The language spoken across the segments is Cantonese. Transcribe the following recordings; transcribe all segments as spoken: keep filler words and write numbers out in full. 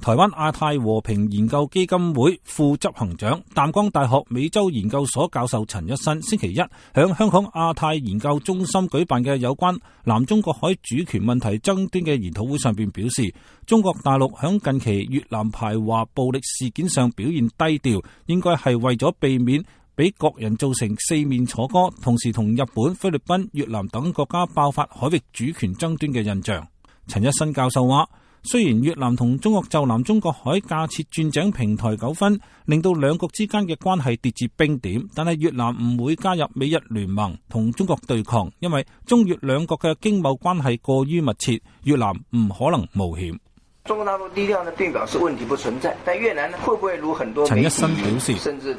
台灣亞太和平研究基金會副執行長、淡江大學美洲研究所教授陳一新星期一響香港亞太研究中心舉辦嘅有關南中國海主權問題爭端嘅研討會上邊表示，中國大陸響近期越南排華暴力事件上表現低調，應該係為咗避免俾各人造成四面楚歌，同時同日本、菲律賓、越南等國家爆發海域主權爭端嘅印象。陳一新教授話，雖然越南同中國就南中國海架設鑽井平台糾紛，令到兩國之間嘅關係跌至冰點，但係越南唔會加入美日聯盟同中國對抗，因為中越兩國嘅經貿關係過於密切，越南唔可能冒險。中國大陸低調呢，並表示問題不存在，但越南呢，會不會如很多？陳一新表示，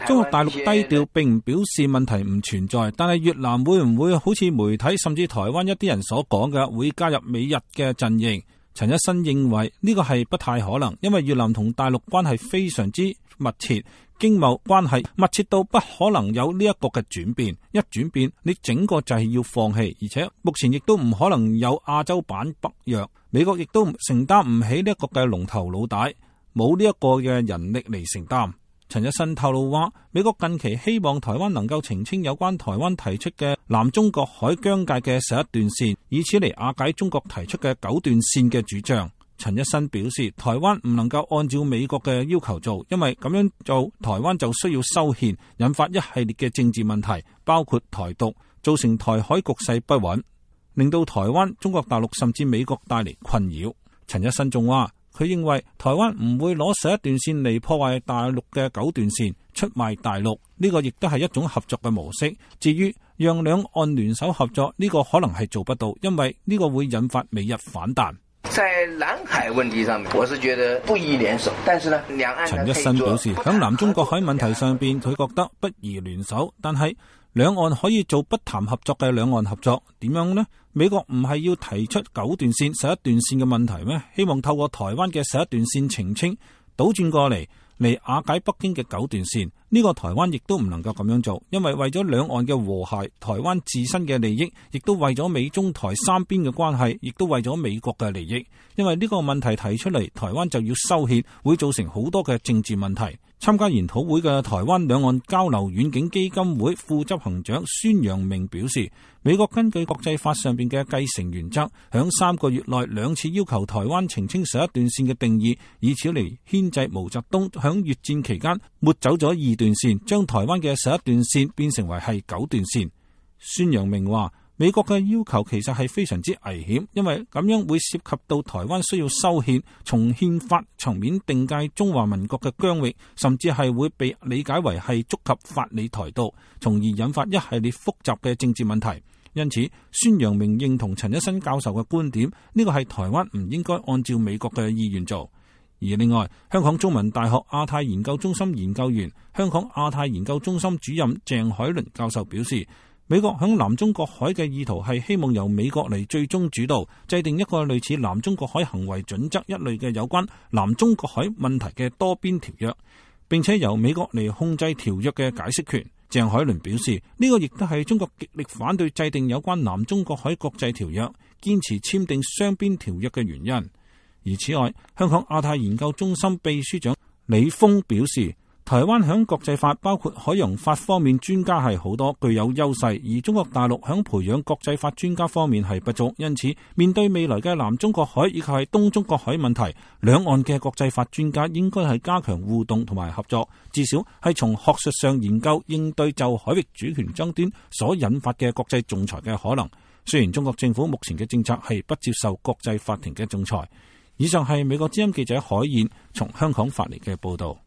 中國大陸低調並唔表示問題唔存在，但係越南會唔會好似媒體甚至台灣一啲人所講嘅，會加入美日嘅陣營？陳一新認為呢個係不太可能，因為越南同大陸關係非常之密切，經貿關係密切到不可能有呢一個嘅轉變，一轉變你整個就係要放棄，而且目前亦都唔可能有亞洲版北約，美國亦都承擔唔起呢一個嘅龍頭老大，冇呢一個嘅人力嚟承擔。陳一新透露話，美國近期希望台灣能夠澄清有關台灣提出嘅南中國海疆界嘅十一段線，以此嚟瓦解中國提出嘅九段線嘅主張。陳一新表示，台灣唔能夠按照美國嘅要求做，因為咁樣做，台灣就需要修憲，引發一系列嘅政治問題，包括台獨，造成台海局勢不穩，令到台灣、中國大陸甚至美國帶嚟困擾。陳一新仲話，佢認為台灣唔會攞十一段線嚟破壞大陸嘅九段線，出賣大陸，呢個亦都係一種合作嘅模式。至於讓兩岸聯手合作，呢個可能係做不到，因為呢個會引發美日反彈。在南海問題上面，我是覺得不宜聯手，但是呢，兩岸陳一新表示，響南中國海問題上邊，佢覺得不宜聯手，但係兩岸可以做不談合作嘅兩岸合作，點樣呢？美國唔係要提出九段線、十一段線嘅問題咩？希望透過台灣嘅十一段線澄清，倒轉過嚟嚟瓦解北京嘅九段線。呢個台灣亦都唔能夠咁樣做，因為為咗兩岸嘅和諧，台灣自身嘅利益，亦都為咗美中台三邊嘅關係，亦都為咗美國嘅利益。因為呢個問題提出嚟，台灣就要修憲，會造成好多嘅政治問題。參加研討會嘅台灣兩岸交流遠景基金會副執行長孫陽明表示，美國根據國際法上邊嘅繼承原則，響三個月內兩次要求台灣澄清十一段線嘅定義，以此嚟牽制毛澤東響越戰期間抹走咗二段線，將台灣嘅十一段線變成為係九段線。孫陽明話，美國嘅要求其實係非常之危險，因為咁樣會涉及到台灣需要修憲，從憲法層面定界中華民國嘅疆域，甚至係會被理解為係觸及法理台獨，從而引發一系列複雜嘅政治問題。因此，孫陽明認同陳一新教授嘅觀點，呢個係台灣唔應該按照美國嘅意願做。而另外，香港中文大學亞太研究中心研究員、香港亞太研究中心主任鄭海倫教授表示，美國響南中國海嘅意圖係希望由美國嚟最終主導，制定一個類似南中國海行為準則一類嘅有關南中國海問題嘅多邊條約，並且由美國嚟控制條約嘅解釋權。鄭海倫表示，呢個亦都係中國極力反對制定有關南中國海國際條約，堅持簽訂雙邊條約嘅原因。而此外，香港亞太研究中心秘書長李峰表示，台灣響國際法包括海洋法方面專家係好多，具有優勢，而中國大陸響培養國際法專家方面係不足，因此面對未來嘅南中國海以及係東中國海問題，兩岸嘅國際法專家應該係加強互動同埋合作，至少係從學術上研究應對就海域主權爭端所引發嘅國際仲裁嘅可能。雖然中國政府目前嘅政策係不接受國際法庭嘅仲裁。以上係美國之音記者海燕從香港發嚟嘅報道。